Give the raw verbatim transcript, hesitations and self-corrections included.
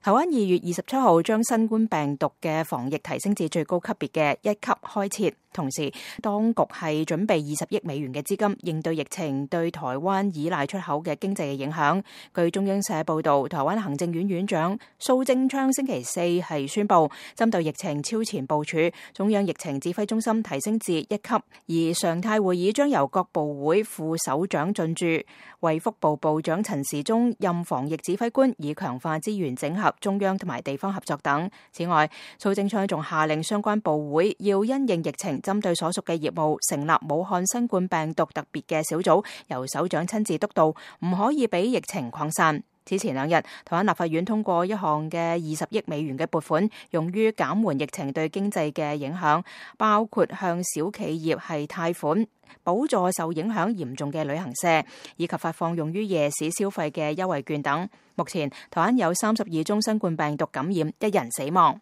台灣二月二十七號將新冠病毒嘅防疫提升至最高級別嘅一級開設，同時當局係準備二十億美元嘅資金應對疫情對台灣依賴出口嘅經濟嘅影響。據中央社報道，台灣行政院院長蘇貞昌星期四係宣布，針對疫情超前部署，中央疫情指揮中心提升至一級，而常態會議將由各部會副首長進駐，衛福部部長陳時中任防疫指揮官，以強化資源整合、中央同埋地方合作等。此外，蘇貞昌仲下令相關部會要因應疫情，針對所屬嘅業務成立武漢新冠病毒特別嘅小組，由首長親自督導，唔可以俾疫情擴散。此前兩日，台灣立法院通過一項嘅二十億美元嘅撥款，用於減緩疫情對經濟嘅影響，包括向小企業係貸款、補助受影響嚴重嘅旅行社，以及發放用於夜市消費嘅優惠券等。目前，台灣有三十二宗新冠病毒感染，一人死亡。